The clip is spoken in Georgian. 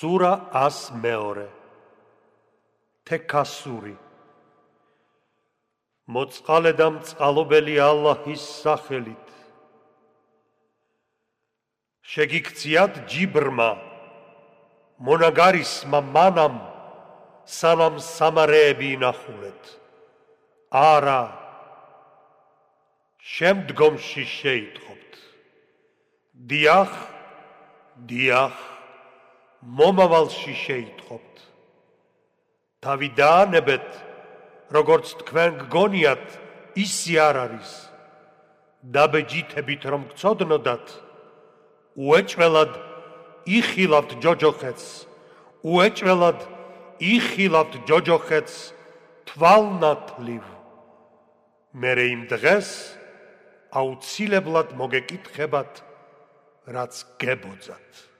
სურა 102 თექასური მოწყალე და მწყალობელი ალლაჰის სახელით შეგიქციათ ჯიბრმა მონაგარისმა მანამ სანამ სამარეები ინახულეთ არა შემდგომში შეიტყობთ დიახ დიახ მომავალში შეიტყობთ თავი დაანებეთ როგორც თქვენ გგონიათ ისი არ არის დაბეჯითებით რომ გწოდნოდათ უეჭველად იხილავთ ჯოჯოხეთს უეჭველად იხილავთ ჯოჯოხეთს თვალნათლივ მერე იმ დღეს აუცილებლად მოგეკითხებათ რაც გებოძათ